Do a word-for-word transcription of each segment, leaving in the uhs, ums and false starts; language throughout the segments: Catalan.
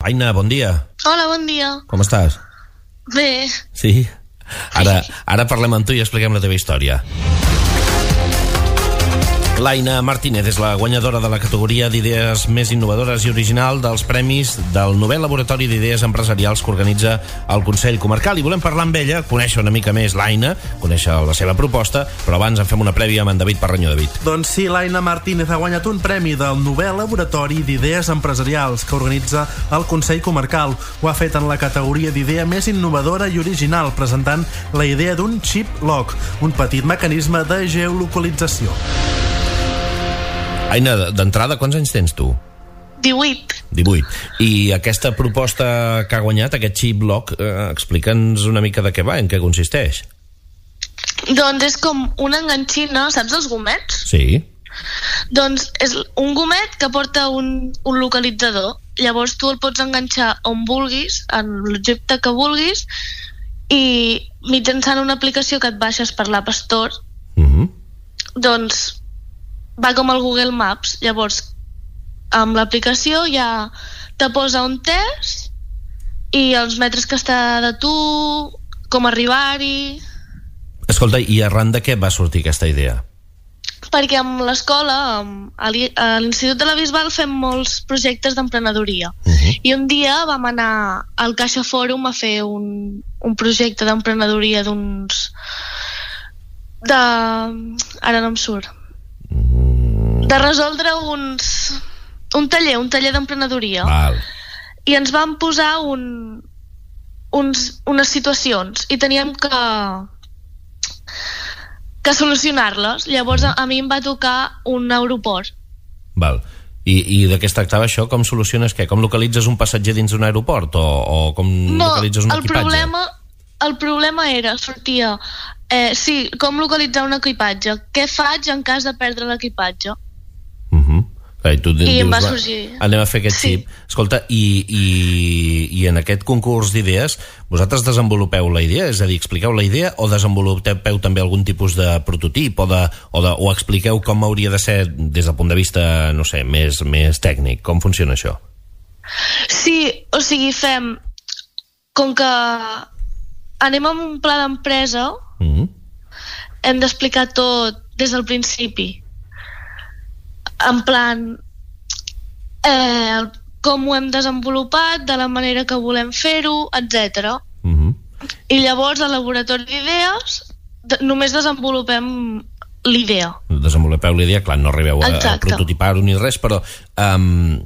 Aina, bon dia. Hola, bon dia. Com estàs? Bé. Sí? Ara, ara parlem amb tu i expliquem la teva història. L'Aina Martínez és la guanyadora de la categoria d'idees més innovadores i original dels premis del novè laboratori d'idees empresarials que organitza el Consell Comarcal. I volem parlar amb ella, conèixer una mica més l'Aina, conèixer la seva proposta, però abans en fem una prèvia amb en David Parreño. David. Doncs sí, l'Aina Martínez ha guanyat un premi del novè laboratori d'idees empresarials que organitza el Consell Comarcal. Ho ha fet en la categoria d'idea més innovadora i original, presentant la idea d'un chip lock, un petit mecanisme de geolocalització. Aina, d'entrada, quants anys tens tu? divuit. divuit. I aquesta proposta que ha guanyat, aquest chip lock, eh, explica'ns una mica de què va, en què consisteix. Doncs és com una enganxina, saps els gomets? Sí. Doncs és un gomet que porta un, un localitzador. Llavors tu el pots enganxar on vulguis, en l'objecte que vulguis, i mitjançant una aplicació que et baixes per l'App Store, Uh-huh. doncs va com el Google Maps. Llavors amb l'aplicació ja te posa on és i els metres que està de tu, com arribar-hi. Escolta, i arran de què va sortir aquesta idea? Perquè amb l'escola, amb- a l'I- a l'Institut de la Bisbal, fem molts projectes d'emprenedoria. Uh-huh. I un dia vam anar al Caixa Fòrum a fer un, un projecte d'emprenedoria d'uns... de... ara no em surt. De resoldre uns... un taller, un taller d'emprenedoria. Val. I ens van posar un, uns, unes situacions i teníem que que solucionar-les. Llavors a, a mi em va tocar un aeroport. Val. I, i de què es tractava això? Com soluciones què? Com localitzes un passatger dins d'un aeroport? O, o com No, localitzes un el equipatge? problema, el problema era, sortia eh, sí, com localitzar un equipatge, què faig en cas de perdre l'equipatge. Uh-huh. I, tu I dius, em va va, sorgir. anem a fer aquest Sí. xip. Escolta, i, i, i en aquest concurs d'idees vosaltres desenvolupeu la idea? És a dir, expliqueu la idea o desenvolupeu també algun tipus de prototip o, de, o, de, o expliqueu com hauria de ser des del punt de vista, no sé, més, més tècnic? Com funciona això? Sí, o sigui, fem com que anem amb un pla d'empresa, Uh-huh. hem d'explicar tot des del principi, en plan eh, com ho hem desenvolupat, de la manera que volem fer-ho, etcètera. Uh-huh. I llavors al laboratori d'idees de, només desenvolupem l'idea. Desenvolupeu la idea, clar, no arribeu a, a Exacte. prototipar-ho ni res, però um,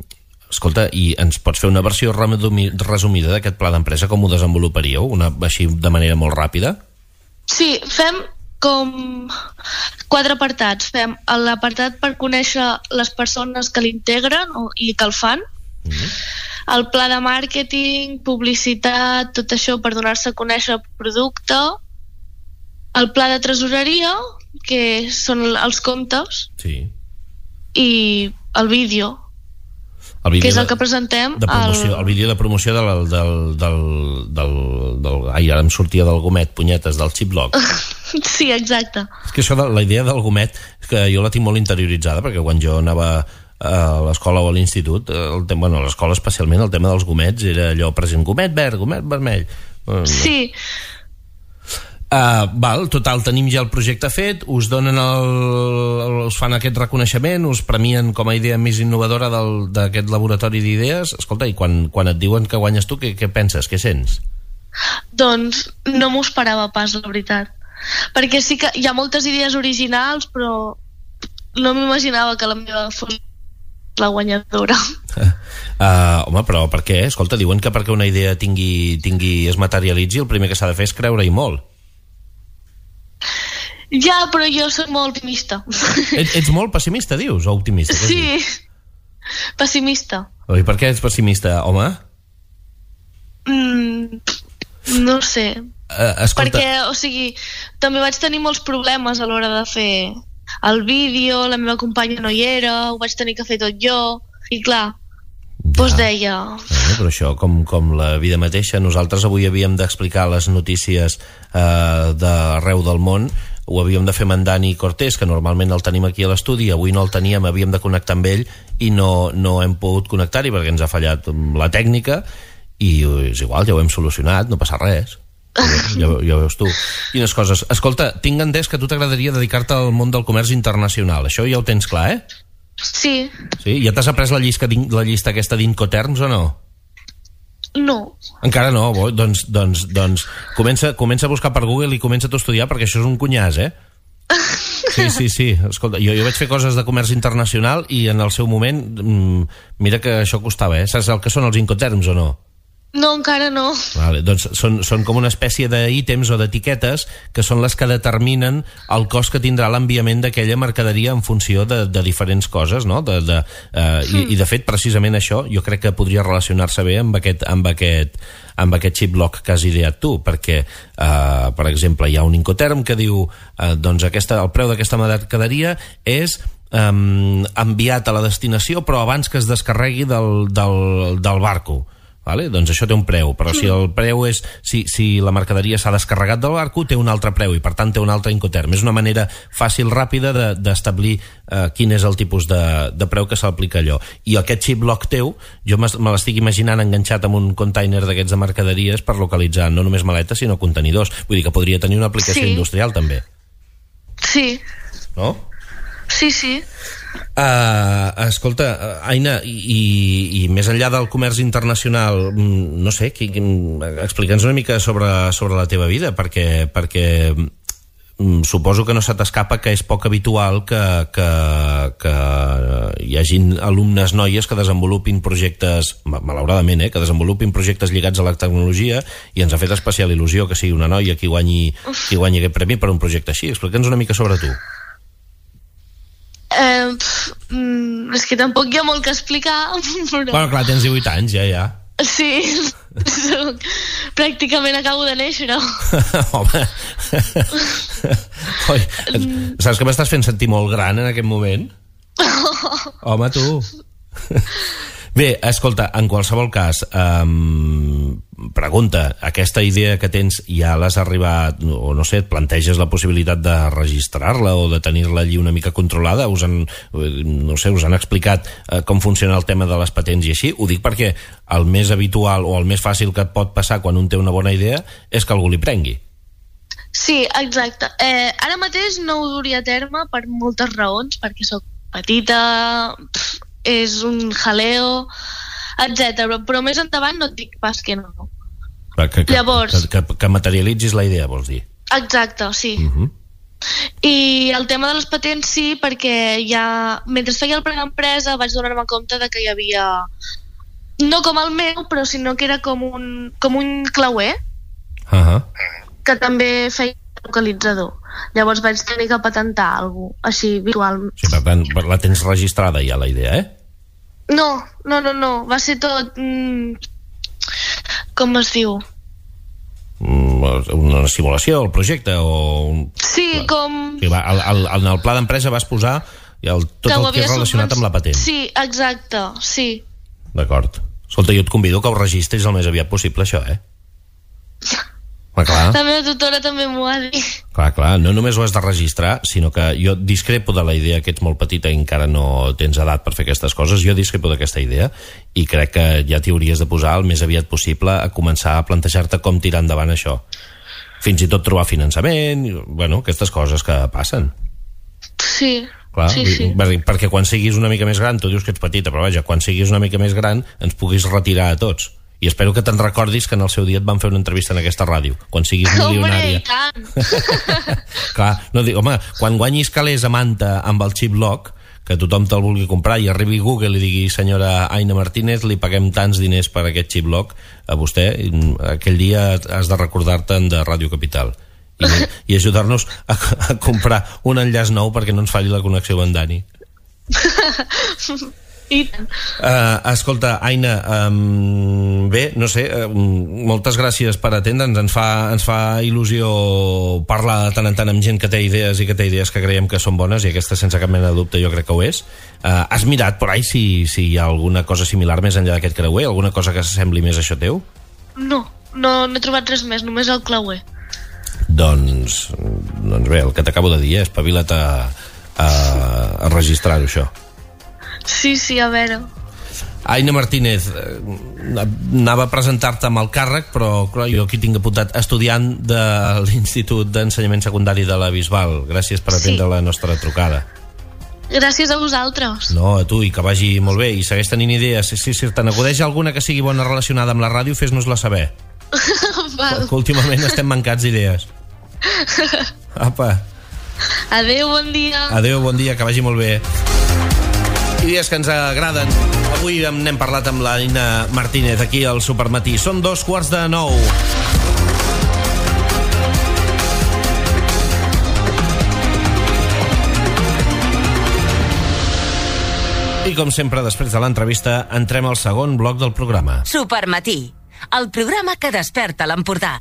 escolta, i ens pots fer una versió resumi- resumida d'aquest pla d'empresa? Com ho desenvoluparíeu? Una, així de manera molt ràpida? Sí, fem com quatre apartats. Fem l'apartat per conèixer les persones que l'integren o- i que el fan, Uh-huh. el pla de màrqueting, publicitat, tot això per donar-se a conèixer el producte, el pla de tresoreria, que són els comptes, Sí. i el vídeo, El vídeo que és el de- que presentem de promoció, al... el vídeo de promoció del, del, del, del, del ai, ara em sortia del gomet, punyetes, del chip lock. Sí, exacte. És que això de la idea del gomet, és que jo la tinc molt interioritzada, perquè quan jo anava a l'escola o a l'institut, el tema, bueno, a l'escola especialment, el tema dels gomets era allò present, gomet verd, gomet vermell. Sí, Uh, val, total, tenim ja el projecte fet, us donen el, el, us fan aquest reconeixement, us premien com a idea més innovadora del- d'aquest laboratori d'idees. Escolta, i quan, quan et diuen que guanyes tu, què, què penses, què sents? doncs no m'ho esperava pas, la veritat. Perquè sí que hi ha moltes idees originals, però no m'imaginava que la meva fos la guanyadora. Uh, home, però per què? Escolta, diuen que perquè una idea tingui, tingui es materialitzi, el primer que s'ha de fer és creure-hi molt. Ja, però jo soc molt optimista. Ets, ets molt pessimista, dius, o optimista? Què has dit? Sí, pessimista. I per què ets pessimista, home? Mm, no sé. Uh, escolta... Perquè, o sigui, també vaig tenir molts problemes a l'hora de fer el vídeo, la meva companya no hi era, ho vaig tenir que fer tot jo, i clar, Ja. doncs deia... Bueno, però això, com, com la vida mateixa, nosaltres avui havíem d'explicar les notícies eh, d'arreu del món ho havíem de fer amb en Dani Cortés, que normalment el tenim aquí a l'estudi, avui no el teníem, havíem de connectar amb ell i no, no hem pogut connectar-hi perquè ens ha fallat la tècnica i és igual, ja ho hem solucionat, no passa res. Ja, ja veus tu. Quines coses. Escolta, tinc entès que a tu t'agradaria dedicar-te al món del comerç internacional. Això ja ho tens clar, eh? Sí. Sí? Ja t'has après la llista, la llista aquesta d'Incoterms o no? No. Encara no? Bo, doncs, doncs, doncs comença, comença a buscar per Google i comença a estudiar perquè això és un cunyàs, eh? Sí, sí, sí. Escolta, jo, jo vaig fer coses de comerç internacional i en el seu moment, mmm, mira que això costava, eh? Saps el que són els Incoterms o no? No, encara no. Vale, doncs són, són com una espècie d'ítems o d'etiquetes que són les que determinen el cost que tindrà l'enviament d'aquella mercaderia en funció de, de diferents coses, no? De, de, eh, mm. i, I de fet, precisament això jo crec que podria relacionar-se bé amb aquest, amb aquest, amb aquest chip lock que has ideat tu, perquè, eh, per exemple, hi ha un Incoterm que diu eh, doncs aquesta, el preu d'aquesta mercaderia és um, enviat a la destinació però abans que es descarregui del, del, del barco. Vale? Doncs això té un preu, però si el preu és si, si la mercaderia s'ha descarregat del barco té un altre preu i per tant té un altre Incoterm. És una manera fàcil, ràpida d'establir de, eh, quin és el tipus de, de preu que s'aplica allò. I aquest chip lock teu jo me l'estic imaginant enganxat amb un container d'aquests de mercaderies per localitzar no només maletes sinó contenidors. Vull dir que podria tenir una aplicació sí. industrial també. Sí. No? Sí, sí. Uh, escolta, Aina, i, i, i més enllà del comerç internacional, no sé, qui, qui, explica'ns una mica sobre, sobre la teva vida, perquè, perquè suposo que no se t'escapa que és poc habitual que, que, que hi hagin alumnes noies que desenvolupin projectes, malauradament, eh, que desenvolupin projectes lligats a la tecnologia, i ens ha fet especial il·lusió que sigui una noia qui guanyi, qui guanyi aquest premi per un projecte així. Explica'ns una mica sobre tu. Eh, pff, mm, és que tampoc hi ha molt que explicar, però... Bueno, clar, tens divuit anys, ja, ja. Sí, soc... pràcticament acabo de néixer. Home, Oi, saps que m'estàs fent sentir molt gran en aquest moment? Home, tu. Bé, escolta, en qualsevol cas, um, pregunta, aquesta idea que tens ja l'has arribat, o no sé, et planteges la possibilitat de registrar-la o de tenir-la allí una mica controlada? Us han, no sé, us han explicat uh, com funciona el tema de les patents i així? Ho dic perquè el més habitual o el més fàcil que et pot passar quan un té una bona idea és que algú li prengui. Sí, exacte. Eh, ara mateix no ho duria a terme per moltes raons, perquè sóc petita... Pff, és un jaleo, etcètera. Però més endavant no et dic pas que no. Que, que, Llavors... Que, que, que materialitzis la idea, vols dir? Exacte, sí. Uh-huh. I el tema de les patents sí, perquè ja... Mentre feia el pla d'empresa vaig donar-me compte de que hi havia... No com el meu, però sinó que era com un, com un clauer uh-huh. que també feia localitzador. Llavors vaig tenir que patentar alguna cosa així virtual. Sí, per tant, la tens registrada ja la idea, eh? No, no, no, no. Va ser tot... Mm, com es diu? Una simulació, el projecte o... Sí, com... Sí, va, el, el, en el pla d'empresa vas posar el, tot que el que és relacionat amb la patent. Sí, exacte, sí. D'acord. Escolta, jo et convido que ho registris el més aviat possible, això, eh? Ah, clar. La meva tutora també m'ho ha dit. Clar, clar, no només ho has de registrar, sinó que jo discrepo de la idea que ets molt petita i encara no tens edat per fer aquestes coses. Jo discrepo d'aquesta idea i crec que ja t'hi hauries de posar el més aviat possible a començar a plantejar-te com tirar endavant això. Fins i tot trobar finançament, bueno, aquestes coses que passen. Sí, clar, sí, sí. Perquè quan siguis una mica més gran, tu dius que ets petita, però vaja, quan siguis una mica més gran ens puguis retirar a tots. I espero que te'n recordis que en el seu dia et van fer una entrevista en aquesta ràdio, quan siguis milionària. Clar, no dic, home, quan guanyis calés a Manta amb el chip lock, que tothom te'l vulgui comprar i arribi Google i digui senyora Aina Martínez, li paguem tants diners per aquest chip lock a vostè, aquell dia has de recordar-te'n de Ràdio Capital i, i ajudar-nos a, a comprar un enllaç nou perquè no ens falli la connexió amb en Dani. Uh, escolta, Aina, um, bé, no sé, um, moltes gràcies per atendre'ns. Ens fa, ens fa il·lusió parlar de tant en tant amb gent que té idees i que té idees que creiem que són bones, i aquesta sense cap mena de dubte jo crec que ho és. Uh, has mirat por ahí si, si hi ha alguna cosa similar més enllà d'aquest creuer? Alguna cosa que s'assembli més a això teu? No, no, no he trobat res més, només el clauer. Doncs Doncs bé, el que t'acabo de dir, eh? Espavila't a, a, a registrar-ho, això. Sí, sí, a veure. Aina Martínez, anava a presentar-te amb el càrrec, però clar, jo aquí tinc apuntat estudiant de l'Institut d'Ensenyament Secundari de la Bisbal. Gràcies per atendre sí. la nostra trucada. Gràcies a vosaltres. No, a tu, i que vagi molt bé. I segueix tenint idees. Si, si, si te n'acudeix alguna que sigui bona relacionada amb la ràdio, fes-nos-la saber. Val. Que últimament estem mancats d'idees. Apa. Adéu, bon dia. Adéu, bon dia, que vagi molt bé. Idees que ens agraden. Avui n'hem parlat amb l'Aina Martínez aquí al Supermatí. Són dos quarts de nou. I com sempre, després de l'entrevista, entrem al segon bloc del programa. Supermatí, el programa que desperta l'Empordà.